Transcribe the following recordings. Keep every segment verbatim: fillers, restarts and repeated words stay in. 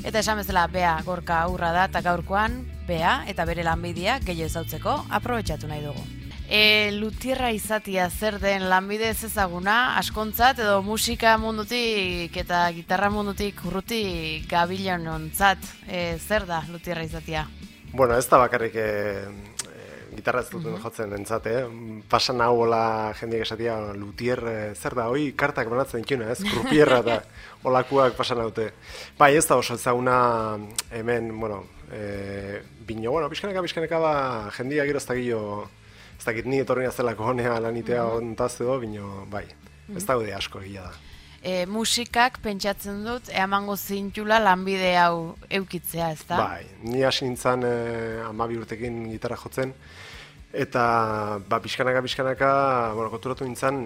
Eta esan bezala, Bea Gorka Aurra da, eta gaurkoan, Bea eta bere lanbidea gehiago ezautzeko aprobetxatu nahi dugu. E, lutierra izatia zer den lanbide ez ezaguna, askontzat edo musika mundutik eta gitarra mundutik urruti gabilonontzat, e, zer da lutierra izatia? Bueno, ez da bakarrik e, gitarra ez duten jotzen entzat, eh? Pasan hau hola jendeak esatia, lutier, zer da, hoi kartak banatzen dituna, ez? Krupierra eta olakuak pasan haute. Bai, ez da oso ezaguna hemen, bueno, e, bino, bueno, pixkaneka, pixkaneka ba, jendeak gero ez da gillo, ez dakit ni etorri nazelako honea lanitea ontaz edo, bino, bai, ez da gaude asko egia da. E, musikak pentsatzen dut, eamango zintula lanbide hau eukitzea, ez da? Bai, ni hasi nintzen e, amabi urtekin gitarra jotzen, eta ba, pixkanaka, pixkanaka, bueno, konturatu nintzen,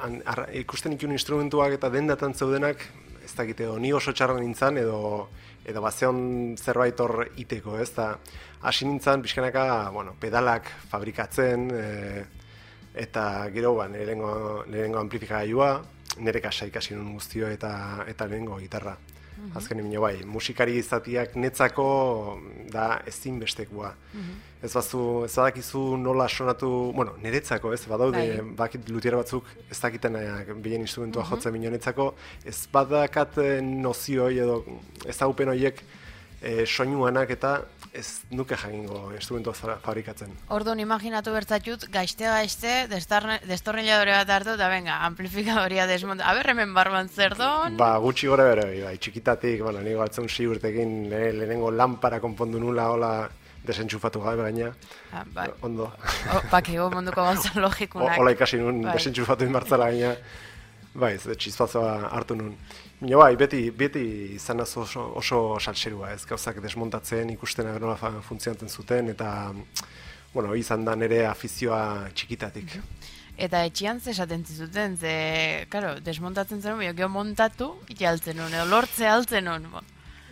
an, ar, ikusten ikun instrumentuak eta dendatan zeudenak, ez dakit edo, ni oso txarra nintzen, edo, edo bazeon zerbait hor iteko, ez da, hasi nintzen, pixkanaka, bueno, pedalak fabrikatzen, e, eta gero, ba, lehenengo amplifikagailua, nire kasa ikasi nun guztio eta eta lehenengo gitarra. Uh -huh. Azken emino bai, musikari izatiak netzako da ezinbestekoa. Uh -huh. Ez bazu, ez badakizu nola sonatu, bueno, niretzako, ez badaude, bakit lutiera batzuk ez dakitenak bilen instrumentua uh -huh. jotzen bino netzako, ez badakat nozioi edo ezagupen horiek e, soinuanak eta ez nuke jakingo instrumentua fabrikatzen. Orduan, imaginatu bertzatut, gaizte-gaizte, destornilladore bat hartu, eta venga, amplifikadoria desmonta. Aber, hemen barban zer don? Ba, gutxi gore bere, bai, txikitatik, bueno, nigo altzen si urtekin le, lehenengo lampara konpondu nula, hola, desentxufatu gabe gaina. Ah, bai. Ondo. O, bakigo munduko gauza logikunak. Hola ikasi nun, bai. Desentxufatu inbartzala gaina. Bai, ez txizpatzoa hartu nun. Mino bai, beti, beti izan oso, oso saltserua, ez gauzak desmontatzen, ikusten nola funtzionatzen zuten, eta, bueno, izan da nire afizioa txikitatik. Eta etxian ze esaten zizuten, ze, karo, desmontatzen zen, geho montatu, jaltzen nun, edo lortze altzen nun.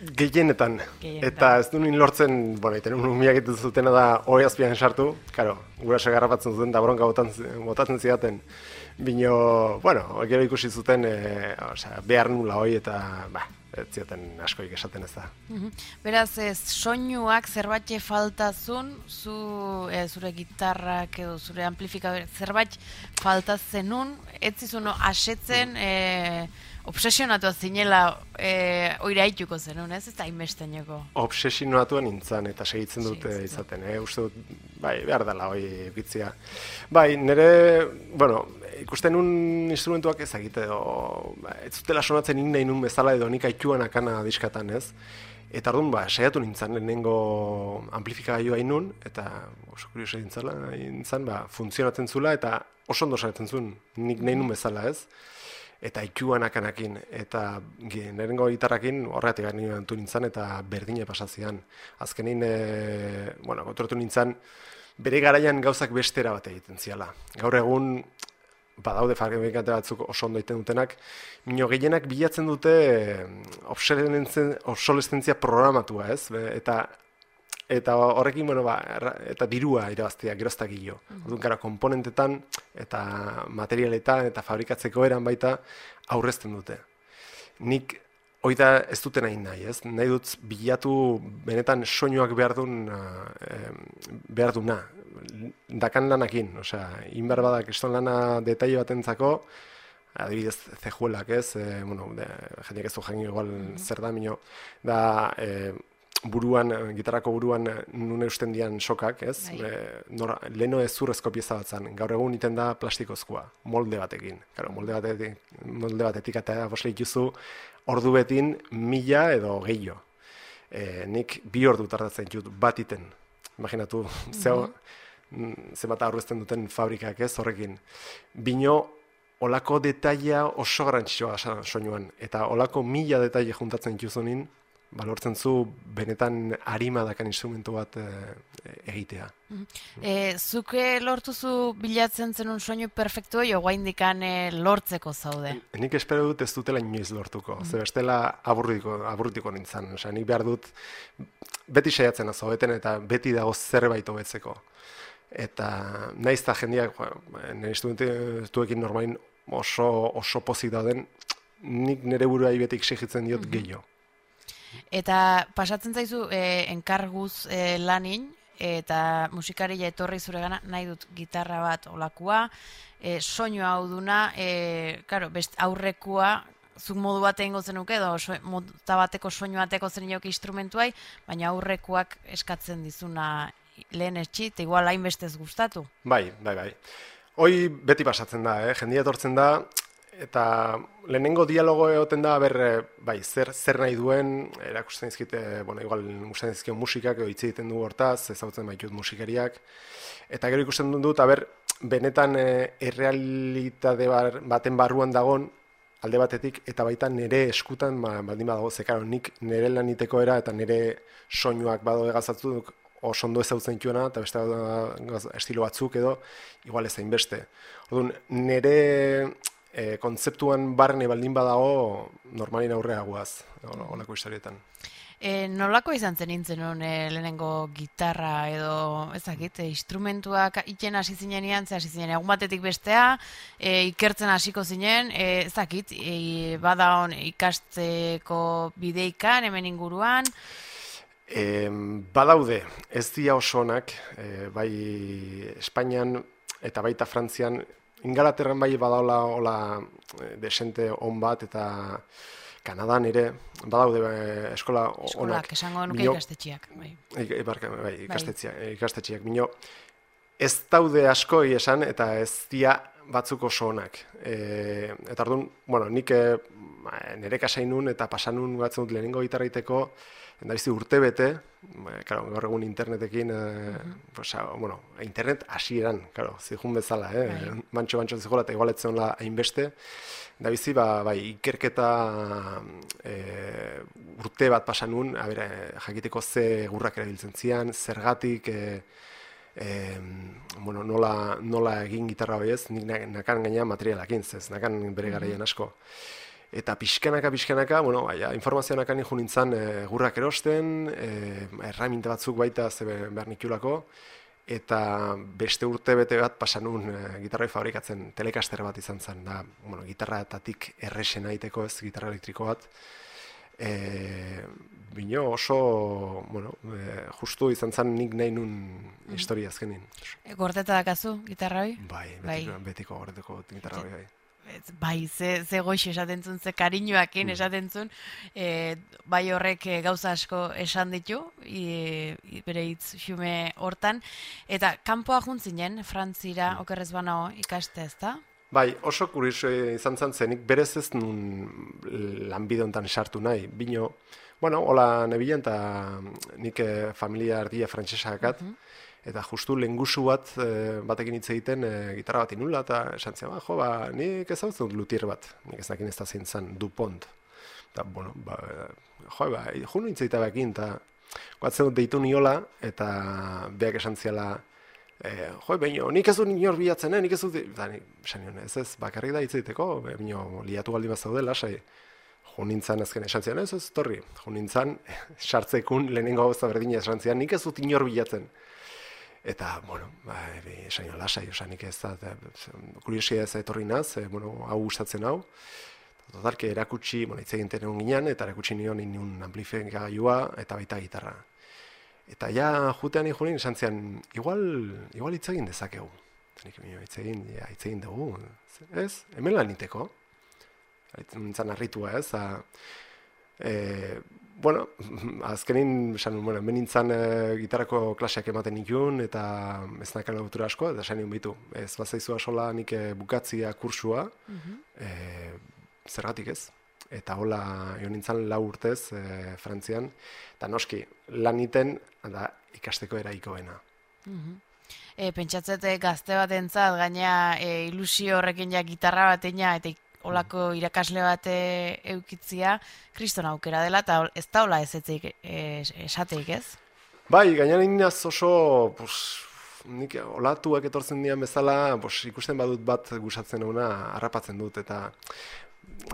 Gehienetan, eta ez du nien lortzen, bueno, iten un umiak egiten zutena da hori azpian sartu, karo, guraso garrapatzen zuten da bronka botatzen zidaten. Bino, bueno, gero ikusi zuten, e, osea, behar nula hoi eta, ba, ez zioten askoik esaten ez da. Beraz, ez, soinuak zerbait faltazun, zu, e, zure gitarrak edo zure amplifikadore, zerbait faltazenun, ez zizun asetzen, e, obsesionatu zinela e, oira haituko zenun, ez? Ez da inbesteneko. Obsesionatu nintzen eta segitzen dute izaten, eh? Uste dut, bai, behar dela hoi egitzia. Bai, nire, bueno, ikusten nun instrumentuak ezagite, edo, ez zutela sonatzen nik nahi nun bezala edo nik haituan akana diskatan, ez? Eta orduan, ba, saiatu nintzen, lehenengo amplifikagailua hain eta oso kurioso nintzen, ba, funtzionatzen zula eta oso ondo saiatzen zuen, nik nahi nun bezala, ez? Eta ikuan akanakin, eta nirengo gitarrakin horregatik gani bantu nintzen, eta berdine pasazian. Azkenin, e, bueno, konturatu nintzen, bere garaian gauzak bestera bat egiten ziala. Gaur egun, badaude fabrikante batzuk oso ondo egiten dutenak, mino gehienak bilatzen dute obsolestentzia programatua, ez? Eta eta horrekin, bueno, ba, eta dirua irabaztea, geroztak gilo. Orduan, gara, komponentetan eta materialetan eta fabrikatzeko eran baita aurrezten dute. Nik hori da ez duten nahi nahi, ez? Nahi dut bilatu benetan soinuak behar duen, behar duna, dakan lanakin, osea, inbar badak eston lana detaile batentzako, adibidez zejuelak, ez? E, bueno, de, jendeak ez du jangio igual zer da, mino, da, e, buruan, gitarrako buruan nun eusten dian sokak, ez? E, nora, leheno ez zurrezko pieza bat zan, gaur egun iten da plastikozkoa, molde batekin. Claro, molde batetik, molde batetik eta bosle ikuzu, ordu betin mila edo gehiago. E, nik bi ordu tardatzen dut bat iten. Imaginatu, zeo, zenbat aurrezten duten fabrikak, ez, horrekin. Bino, olako detaila oso garrantzitsua soinuan, eta olako mila detaile juntatzen dituzunin, balortzen zu benetan arima dakan instrumentu bat e, egitea. E, zuke lortuzu bilatzen zenun soinu perfektu jo guaindikan e, lortzeko zaude? Nik espero dut ez dutela inoiz lortuko, mm. ze bestela aburritiko, aburritiko nintzen. Osea, nik behar dut beti saiatzen azo beten eta beti dago zerbait hobetzeko. Eta naiz da jendeak, nire instrumentuekin normalin oso, oso pozik dauden, nik nire buruai beti exigitzen diot gehiago. Eta pasatzen zaizu e, enkarguz e, lanin, eta musikaria etorri zuregana nahi dut gitarra bat olakua, e, soinu hau duna, e, claro, best aurrekua, zuk modu bat egingo zenuke, edo so, mota bateko soinu bateko zen inoki instrumentuai, baina aurrekuak eskatzen dizuna lehen etxi, eta igual hainbestez gustatu. Bai, bai, bai. Hoi beti pasatzen da, eh? Jendia etortzen da, eta lehenengo dialogo egoten da, ber, bai, zer, zer nahi duen, erakusten dizkite, bueno, igual gustatzen dizkion musikak, edo hitz egiten du hortaz, ezagutzen baitut musikariak, eta gero ikusten dut, aber, benetan e, errealitate bar, baten barruan dagon, alde batetik, eta baita nire eskutan, ba, baldin badago, zekaro, nik nire laniteko era, eta nire soinuak bado egazatzuk, oso ondo ezagutzen dituena, eta beste estilo batzuk edo, igual ez hainbeste. Orduan, nire e, kontzeptuan barne baldin badago, normalin aurrea guaz, olako historietan. E, nolako izan zen nintzen hon e, lehenengo gitarra edo, ezakit, e, instrumentuak iten hasi zinenean, ze hasi zinen egun batetik bestea, e, ikertzen hasiko zinen, e, ezakit, e, bada hon ikasteko bideikan, hemen inguruan, E, badaude, ez dira oso onak, e, bai Espainian eta baita Frantzian, Ingalaterran bai badaula hola desente on bat, eta Kanadan ere, badaude e, eskola onak. Eskolak, esango nuke ikastetxiak. Bai, Ibarka, bai, ikastetxiak, ikastetxiak. Mino, ez daude asko esan, eta ez dira batzuk oso onak. E, eta orduan, bueno, nik e, nire kasainun eta pasanun batzen dut lehenengo gitarraiteko, da bizi urte bete, claro, gaur egun internetekin, eh, uh-huh. pues, bueno, internet hasieran, claro, zihun bezala, eh, right. Mantxo-mantxo zihola, eta igualetzen la hainbeste, da bizi, ba, bai, ikerketa eh, urte bat pasanun, a ber, jakiteko ze gurrak erabiltzen zian, zergatik, eh, eh, bueno, nola, nola egin gitarra hori ez, nik nakan gaina materialakin, ez, nakan bere garaian asko. Eta pixkanaka, pixkanaka, bueno, baina, informazioanak anin jo nintzen e, gurrak erosten, e, erraminta batzuk baita ze behar nikiulako, eta beste urte bete bat pasanun e, gitarrai fabrikatzen telekaster bat izan zen, da, bueno, gitarratatik erresen aiteko ez, gitarra elektriko bat. E, bino oso, bueno, e, justu izan zen nik nahi nun historia azkenin. E, gordeta dakazu, gitarra hoi? Bai, betiko, bai. betiko gordeteko gitarra hoi, bai. Bai, ze, ze goixo esaten zuen, ze kariñoakin esaten zuen, e, bai horrek gauza asko esan ditu, e, bere hitz xume hortan, eta kanpoa juntzinen, Frantzira, mm. okerrez banao ikaste ez da? Bai, oso kurioso izan zen zenik, berez ez nun lanbide honetan sartu nahi, bino, bueno, hola nebilen, eta nik familia ardia frantsesakat, uh-huh. Eta justu lengusu bat e, batekin hitz egiten e, gitarra bat inula, eta esan zian, ba, jo, ba, nik ezagutzen dut lutier bat, nik ez dakin ez da zein zen, Dupont. Eta, bueno, ba, jo, ba, jo nu hitz egita bekin, eta guatzen dut deitu niola, eta beak esan ziala, e, jo, baino, nik ez dut inor bilatzen, eh? Nik ez dut, eta nik, esan nion, ez ez, bakarrik da hitz egiteko, baino, liatu galdi bat zaude, lasai. Jo nintzen azken esan zian, ez ez, torri, jo nintzen, sartzekun lehenengo gauza berdina esan zian, nik ez dut inor bilatzen. Eta, bueno, ba, esan jo, lasai, osanik ez da, kuriosia ez etorri naz, e, bueno, hau gustatzen hau. Totalke erakutsi, bueno, hitz egiten egon ginen, eta erakutsi nion inun amplifikagailua eta baita gitarra. Eta ja, jutean ikunin, esan zian, igual, igual hitz egin dezakegu. Nik hitz egin, ja, hitz egin dugu, ez? Hemen lan niteko. Nintzen harritua, ez? A, e, bueno, azkenin, esan, bueno, hemen nintzen e, gitarrako klaseak ematen nikun, eta ez nakan autura asko, eta esan nion bitu. Ez bazaizua sola nik bukatzia kursua, uh-huh. e, zergatik ez? Eta hola, jo nintzen lau urtez, e, Frantzian, eta noski, lan niten, da ikasteko eraikoena. Uh-huh. E, pentsatzete gazte bat entzat, gaina e, ilusio horrekin ja gitarra batena, eta olako irakasle bat eukitzia, kriston aukera dela, eta ez da hola ez etzik esateik ez? Bai, gainan inaz oso, pues, nik olatuak etortzen dian bezala, pues, ikusten badut bat gustatzen una harrapatzen dut, eta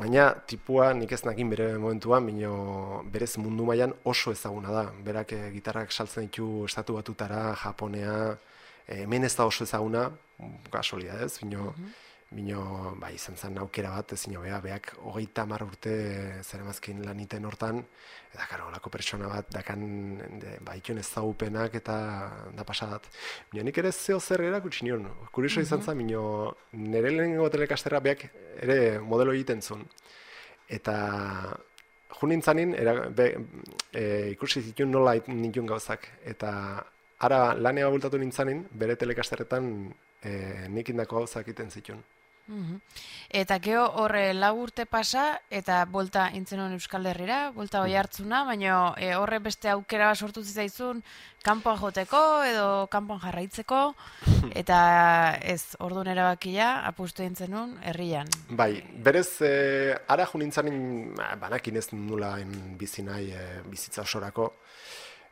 gaina tipua nik ez nakin bere momentuan, bino berez mundu mailan oso ezaguna da. Berak e, gitarrak saltzen ditu estatu batutara, Japonea, e, hemen ez da oso ezaguna, kasualidad ez, bino, uh-huh. Bino, bai, izan zen aukera bat, ezin hobea, beak hogeita hamar urte zeramazkin laniten hortan, eta karo, olako pertsona bat, dakan, ba, ituen ezagupenak eta da pasadat. Bino, nik ere zeo zer erakutsi nion, kurioso izan zen, bino, nire lehenengo telekasterra beak ere modelo egiten zuen. Eta jo nintzanin, be, e, ikusi zituen nola nituen gauzak, eta ara lanea bultatu nintzanin, bere telekasterretan e, nik indako gauzak egiten zituen. Mm-hmm. Eta geho horre lau urte pasa, eta bolta intzenon Euskal Herrira, bolta hoi hartzuna, baina e, horre beste aukera sortu zitzaizun kanpoan joteko edo kanpoan jarraitzeko, eta ez orduan erabakia apustu intzenun herrian. Bai, berez, e, ara jo nintzanin, banakin ez nula bizi nahi e, bizitza osorako,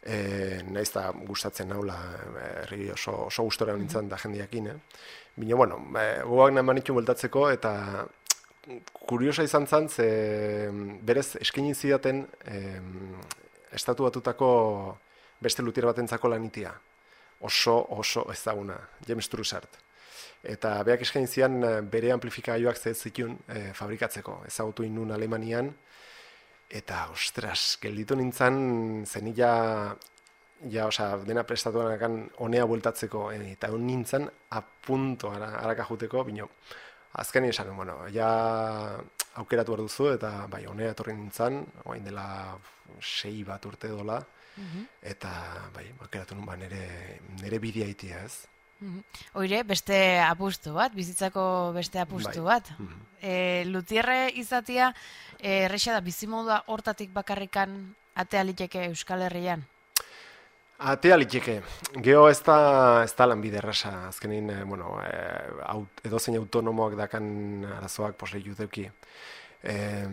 E, naiz da gustatzen naula herri oso, oso gustora nintzen da jendeakin, eh? Bino, bueno, e, gogoak nahi manitu bueltatzeko, eta kuriosa izan zen, ze berez eskaini zidaten e, estatu batutako beste lutier batentzako lanitia. Oso, oso ezaguna, James Trussard. Eta beak eskaini zian bere amplifikagailuak zez zituen e, fabrikatzeko. Ezagutu inun Alemanian, eta, ostras, gelditu nintzen, zenila, ja, oza, dena prestatu ganakan honea bueltatzeko, e, eta hon nintzen apunto harakajuteko, bino, azken esan, bueno, ja aukeratu behar duzu, eta bai, honea etorri nintzen, oain dela sei bat urte dola, eta bai, aukeratu nun ba, nere, nere bidea itia, ez? Oire, beste apustu bat, bizitzako beste apustu bat. E, Lutierre izatia, erresa da bizimodua hortatik bakarrikan atea liteke Euskal Herrian? Atea liteke. Geho ez da, ez da lanbide errasa. Azkenin, eh, bueno, eh, edozein autonomoak dakan arazoak posle juteuki. Eh,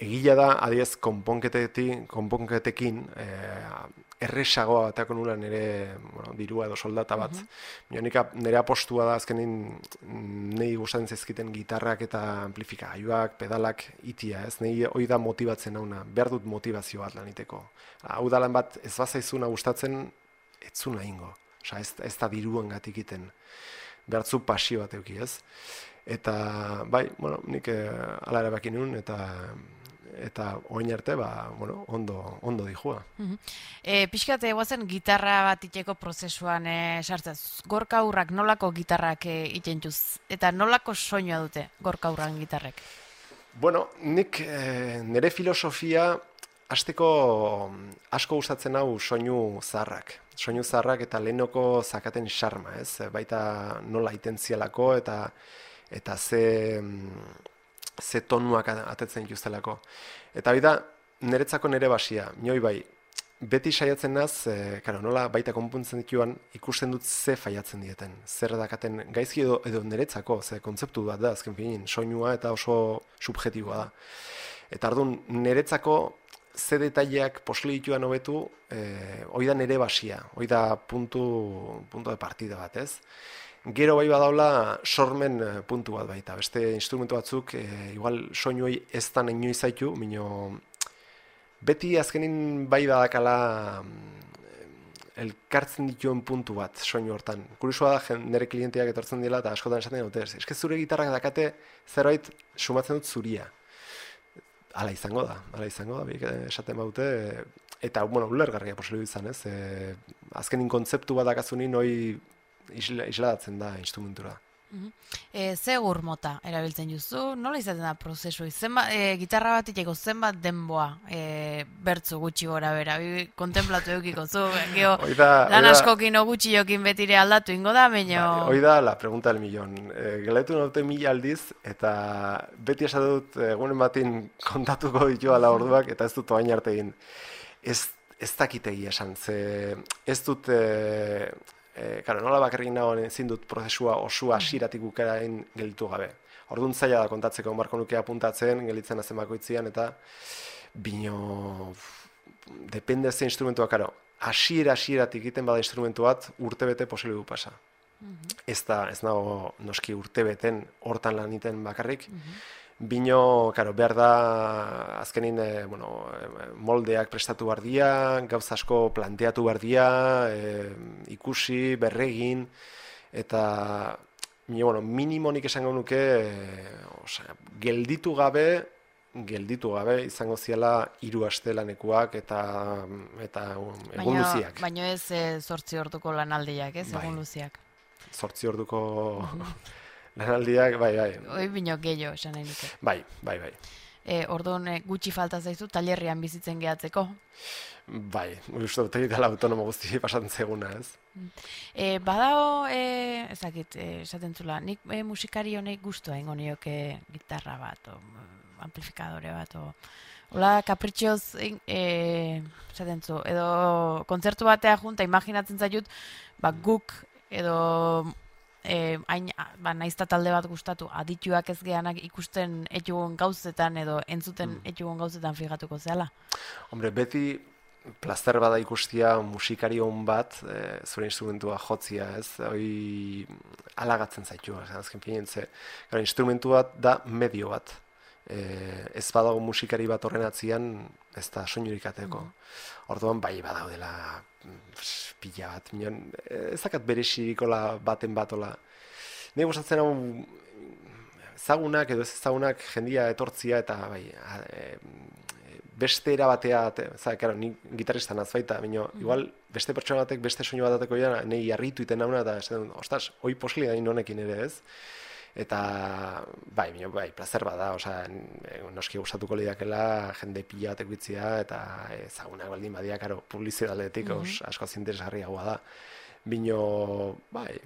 egila da, adiez, konponketekin eh, erresagoa batako nula nire bueno, dirua edo soldata bat. Uh-huh. Nika, nire apostua da azkenin nahi gustatzen zaizkiten gitarrak eta amplifikagailuak, pedalak itia, ez? Nahi hori da motibatzen hauna, behar dut motivazio bat laniteko. Hau da lan bat ez bazaizuna gustatzen, ez zuna ingo. Osa, ez, ez da diruan gatik iten. Behar zu pasio bat euki, ez? Eta, bai, bueno, nik eh, ala ere baki nun, eta eta oin arte, ba, bueno, ondo, ondo dijua. Uh-huh. E, Pixkate, guazen gitarra bat iteko prozesuan e, sartzaz. Gorka Urrak nolako gitarrak e, itentuz? Eta nolako soinua dute Gorka Urran gitarrek? Bueno, nik e, nire filosofia hasteko asko gustatzen hau soinu zaharrak. Soinu zaharrak eta lehenoko zakaten xarma, ez? Baita nola itentzialako eta eta ze... ze tonuak atetzen dituztelako. Eta bida, niretzako nire basia, minoi bai, beti saiatzen naz, e, karo, nola baita konpuntzen dituan, ikusten dut ze faiatzen dieten. Zer dakaten gaizki edo, edo niretzako, ze kontzeptu bat da, azken finin, soinua eta oso subjetiboa da. Eta orduan, niretzako ze detaileak posle dituan hobetu, e, hoi da nire basia, hoi da puntu, punto de partida bat, ez? Gero bai badaula sormen puntu bat baita, beste instrumentu batzuk, e, igual soinuei ez da nahi inoiz zaitu, mino beti azkenin bai badakala elkartzen dituen puntu bat soinu hortan. Kuriosua da, nire klienteak etortzen dela eta askotan esaten dute, eske zure gitarrak dakate zerbait sumatzen dut zuria. Hala izango da, hala izango da, biek esaten baute, eta, bueno, ulergarria posible izan, ez? E, azkenin kontzeptu bat dakazunin, hoi Isla, isladatzen da instrumentura. Uh-huh. E, ze gur mota erabiltzen juzu? Nola izaten da prozesu? Zenba, e, gitarra bat iteko zenbat denboa e, bertzu gutxi gora bera? Bi, kontemplatu eukiko zu, geho, lan askokin o gutxi jokin betire aldatu ingo da, baino... Hoi da la pregunta del millón. E, Galetu naute mila aldiz, eta beti esatut egunen batin kontatuko ditu ala orduak, eta ez dut oain arte egin. Ez, ez dakitegi esan, ze ez dut... E, E, karo, nola bakarrik nagoen ezin dut prozesua osua hasieratik bukarain gelditu gabe. Orduan zaila da kontatzeko, marko nuke apuntatzen, gelditzen azen bakoitzian, eta bino, depende ze instrumentua, karo, hasiera hasieratik egiten bada instrumentu bat, urtebete posible du pasa. Uh-huh. Ez da, ez nago noski urtebeten hortan lan iten bakarrik, uh-huh. Bino, karo, behar da, azkenin, e, bueno, moldeak prestatu behar dia, gauz asko planteatu behar dia, e, ikusi, berregin, eta bueno, minimonik esango nuke, osea, gelditu gabe, gelditu gabe izango ziala hiru aste lanekuak eta eta egun luziak. Baina ez zortzi orduko lanaldiak, ez, egun luziak. Zortzi orduko lanaldiak, bai, bai. Hoi bino gehiago, esan nahi nuke. Bai, bai, bai. E, orduan gutxi falta zaizu, talerrian bizitzen gehatzeko. Bai, uste dut egitela autonomo guzti pasatzen zeguna, ez? E, badao, e, ezakit, esaten zula, nik e, musikari honek guztua ingo nioke gitarra bat, o, amplifikadore bat, o, hola, kapritxoz, e, esaten zu, edo kontzertu batea junta, imaginatzen zaitut, ba, guk, edo E, hain, ba, naizta talde bat gustatu, adituak ez geanak ikusten etxugon gauzetan edo entzuten mm. etxugon gauzetan fijatuko zehala? Hombre, beti plazer bada ikustia musikari hon bat, e, zure instrumentua jotzia, ez? Hoi alagatzen zaitu, azken finean ze. Gara, instrumentu bat da medio bat. E, ez badago musikari bat horren atzian, ez da soinurik ateko. Mm. Orduan, bai badaudela pila bat, minon, ez dakat berezirikola baten batola. Nei gustatzen hau ezagunak edo ez ezagunak jendia etortzia eta bai, e, beste era batea, za, claro, ni gitarrista naz baita, baina mm. igual beste pertsona batek beste soinu bat ateko ja, nei harritu iten nauna eta esaten, ostras, hoi posli da honekin ere, ez? Eta, bai, minio, bai, plazer bada, osea, noski gustatuko lidakela, jende pila batek bitzia, eta ezagunak baldin badia, karo, publizitatetik mm -hmm. asko interesgarriagoa da. Bino, bai,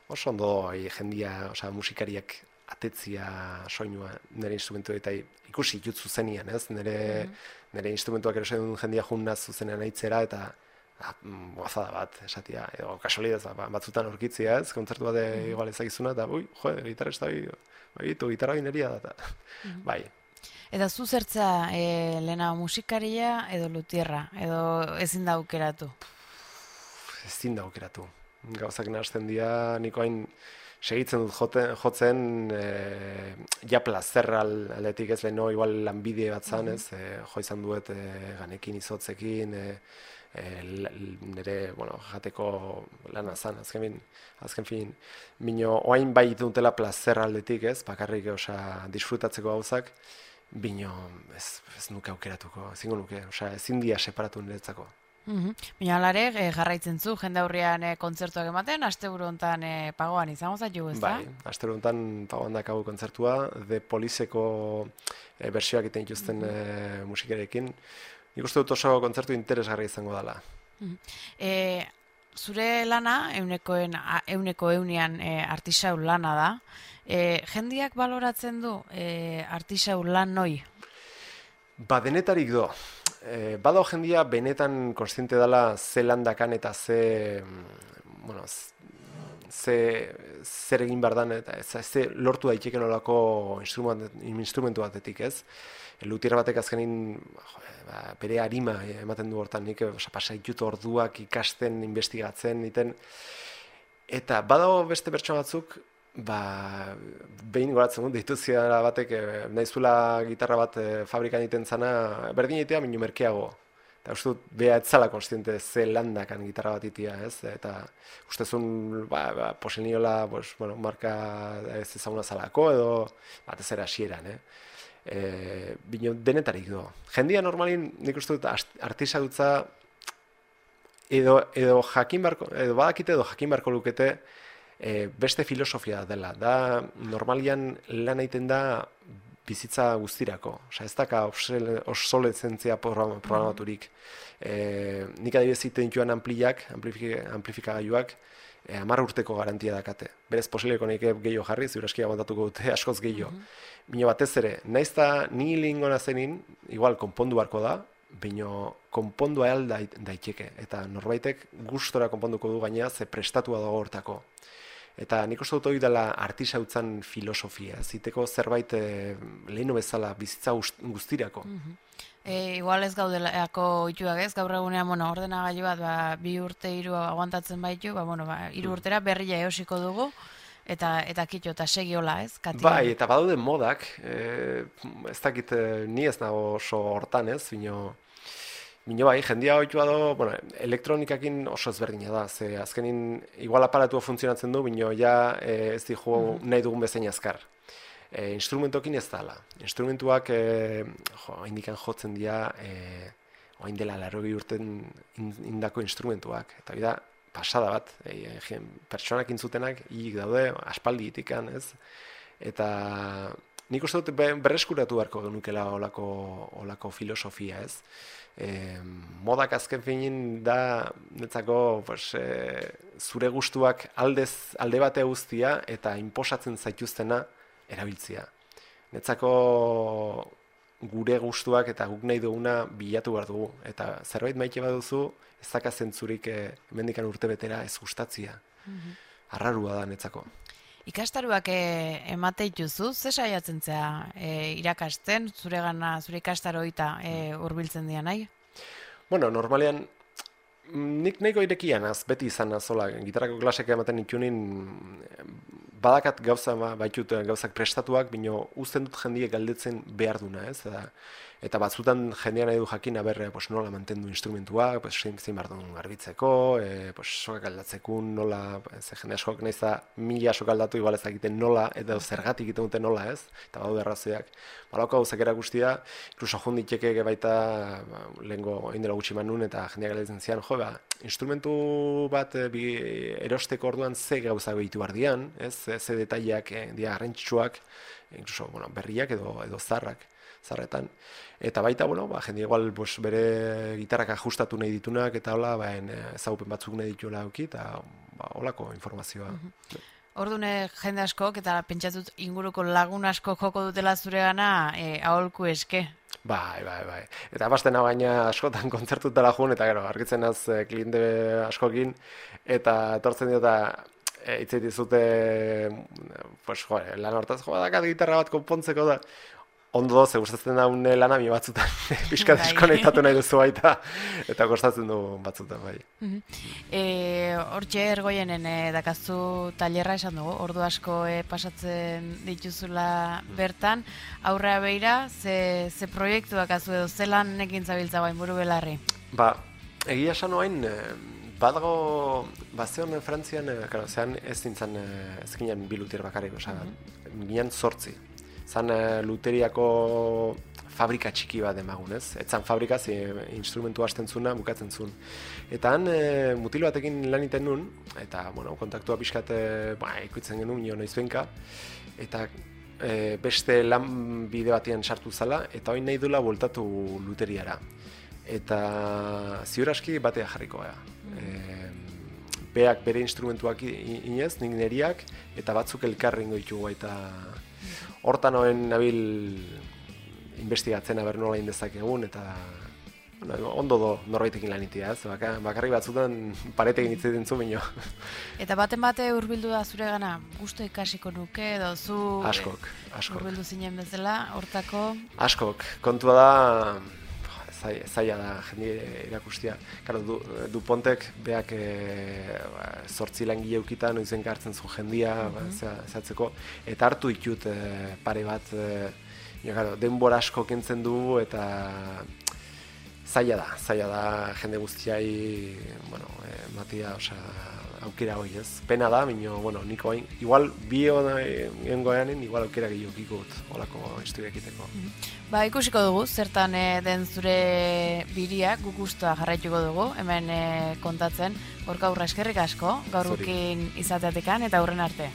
oso ondo jendia, osea, musikariak atetzia soinua nire instrumentu eta ikusi jut zuzenian, ez? Nire, mm -hmm. nire instrumentuak erosen jendia junnaz zuzenean aitzera, eta gozada bat, esatia, edo kasualidez batzutan aurkitzia, ez, kontzertu bat igual ezagizuna, eta ui, jo, gitarrista bai, tu gitarra bineria da, bai. Eta zu zertza, e, lehena musikaria edo lutierra, edo ezin da aukeratu? Ezin da aukeratu. Gauzak nahazten dira, niko hain segitzen dut joten, jotzen, e, ja plazerra aldetik ez leheno, igual lanbide bat zan, ez, e, jo izan duet e, ganekin izotzekin, e, E, nire, bueno, jateko lana zan, azken fin, azken fin, bino, oain bai dutela plazer aldetik, ez, bakarrik, osea, disfrutatzeko gauzak, bino, ez, ez nuke aukeratuko, ezingo nuke, osea, ezin dia separatu niretzako. Mm-hmm. Bina alare, e, jarraitzen zu, jende aurrean e, kontzertuak ematen, asteburu hontan e, pagoan izango zaitu, ez da? Bai, asteburu hontan pagoan dakagu kontzertua, The Policeko e, bersioak iten dituzten mm-hmm. e, musikarekin. Nik uste dut oso kontzertu interesgarri izango dela. E, zure lana, eunekoen, euneko eunian e, artisau lana da. E, jendiak baloratzen du e, artisau lan noi? Ba, denetarik do. E, Badao jendia benetan konstiente dela ze landakan eta ze, bueno, ze, zer egin behar dan, eta ez, ze lortu daiteken olako instrumentu batetik, ez? Luthier batek azkenin ba, bere arima ematen du hortan, nik pasaitut orduak ikasten, investigatzen, iten. Eta badago beste pertsona batzuk, ba, behin goratzen dut, dituzia batek, nahizula gitarra bat e, fabrikan iten zana, berdin egitea, minu merkeago. Eta uste dut, beha etzala konstiente ze landakan gitarra bat itia, ez? Eta ustezun, ba, ba, poseniola, pues, bueno, marka ez ezaguna zalako, edo batez ere hasieran, eh? E, bino denetarik do. Jendia normalin nik uste dut artisagutza edo, edo jakin barko, edo badakite edo jakin barko lukete e, beste filosofia dela. Da normalian lan egiten da bizitza guztirako. Osea, ez daka obsolezentzia programaturik. E, nik adibidez egiten dituen ampliak, amplifikagailuak, e, hamar urteko garantia dakate. Berez posibleko nahi gehiago jarri, ziuraskia aguantatuko dute askoz gehiago. Mm -hmm. Bino batez ere, naiz da ni lingona zenin, igual konpondu barko da, bino konpondu ahal daiteke. Eta norbaitek gustora konponduko du gaina, ze prestatua dago hortako. Eta nik uste dut hori dela artisautzan filosofia, ziteko zerbait e, leheno bezala bizitza guztirako. Mm-hmm. E, igual ez gaudelako ituak ez, gaur egunean, bueno, ordenagailu bat, ba, bi urte hiru aguantatzen baitu, ba, bueno, ba, hiru urtera berria eosiko dugu, eta eta kitxo, eta segi hola ez, Kati? Bai, eta badaude modak, e, ez dakit, ni ez nago oso hortan ez, bino, Bino bai, jendia oitua do, bueno, elektronikakin oso ezberdina da, ze azkenin igual aparatua funtzionatzen du, bino ja e, ez dihu mm. nahi dugun bezain azkar. E, instrumentokin ez dala. Instrumentuak e, jo, indikan jotzen dira, e, oain dela larogi urten indako instrumentuak, eta bida, pasada bat, e, e, pertsonak intzutenak hilik daude, aspaldi itikan, ez? Eta nik uste dut berreskuratu beharko genukela olako, olako filosofia, ez? E, modak azken finin da netzako pues, e, zure gustuak aldez, alde bate guztia eta inposatzen zaituztena erabiltzia. Netzako gure gustuak eta guk nahi duguna bilatu behar dugu. Eta zerbait maite baduzu, ez daka zentzurik e, mendikan urte betera ez gustatzia. Mm-hmm. Arrarua da netzako. Ikastaruak e, emate dituzu, ze saiatzen zea e, irakasten, zure gana, zure ikastaroita e, hurbiltzen dira nahi? Bueno, normalean, nik nahiko irekian az, beti izan azola, gitarrako klaseka ematen itunin, badakat gauza baitut gauzak prestatuak, bino uzten dut jendiek galdetzen behar duna, ez? Eta, eta batzutan jendean nahi du jakin, aberre, pues, nola mantendu instrumentuak, pues, zein behar duen garbitzeko, e, pues, sokak aldatzekun, nola, ze jende askok nahiz da mila sok aldatu, igual ez egiten nola, eta zergatik egiten dute nola, ez? Eta badu errazoiak. Balauko gauzak erakustia, inkluso junditxeke baita, ba, lehengo indela gutxi manun, eta jendeak galdetzen zian, jo, ba, instrumentu bat e, bi, erosteko orduan ze gauza behitu behar dian, ez? Ze, ze detaileak e, dia garrantzitsuak, inkluso bueno, berriak edo, edo zarrak, zarretan. Eta baita, bueno, ba, jende igual pues, bere gitarrak ajustatu nahi ditunak, eta hola, ba, ezagupen batzuk nahi dituela auki, eta ba, holako informazioa. Mm-hmm. Ordune jende askok, eta pentsatut inguruko lagun asko joko dutela zure gana, e, aholku eske. Bai, bai, bai. Eta bastena baina askotan kontzertutela jun, eta gero, argitzen az e, kliente askokin, eta etortzen dira, e, itzait dizute, pues, jo, lan hortaz, jo, dakat gitarra bat konpontzeko da, ondo ze gustatzen daun lana mi batzutan pixka deskonektatu nahi duzu baita eta kostatzen du batzutan bai. Eh, hortxe Ergoienen e, dakazu tailerra esan dugu, ordu asko e, pasatzen dituzula bertan, aurrea beira, ze, ze proiektuak azu edo zelan nekin zabiltza bain buru belarri? Ba, egia esan oain, e, badago, bazeon Frantzian, e, karo, zean ez nintzen, e, ez ginen bilutier bakarrik, osa, mm-hmm. ginen sortzi. Zan e, luteriako fabrika txiki bat emagunez. Etzan fabrika, ze instrumentu hasten zuna, bukatzen zuen. Eta han e, mutil batekin lan iten nun, eta bueno, kontaktua pixkat e, ba, ikutzen genuen, nio noizbenka, eta e, beste lan bide batean sartu zala, eta hori nahi duela voltatu luteriara. Eta ziur aski batea jarriko gara. E, beak bere instrumentuak inez, nik neriak, eta batzuk elkarrengo ditugu eta hortan hoen nabil investigatzen aber nola indezakegun, eta bueno, ondo do norbaitekin lanitia, ez? Baka, bakarrik batzutan paretekin hitz egiten zu bino. Eta baten bate hurbildu da zure gana, gusto ikasiko nuke, edo zu askok, askok. Hurbildu zinen bezala, hortako? Askok, kontua da, zaila da jende erakustia. Claro, du, Dupontek beak e, zortzi langile eukitan noizen hartzen zu jendia, mm-hmm. ba, zehatzeko, eta hartu ditut e, pare bat, e, ja, claro, denbora asko kentzen du, eta zaila da, zaila da jende guztiai, bueno, e, matia, osea, aukera hoi ez. Pena da, minio, bueno, niko hain, igual bi egin goeanen, igual aukera gehiago ikut, olako historiak iteko. Mm-hmm. Ba, ikusiko dugu, zertan e, den zure biria, guk guztua jarraituko dugu, hemen e, kontatzen, Gorka Urra eskerrik asko, gaur gukin izateatikan, eta hurren arte.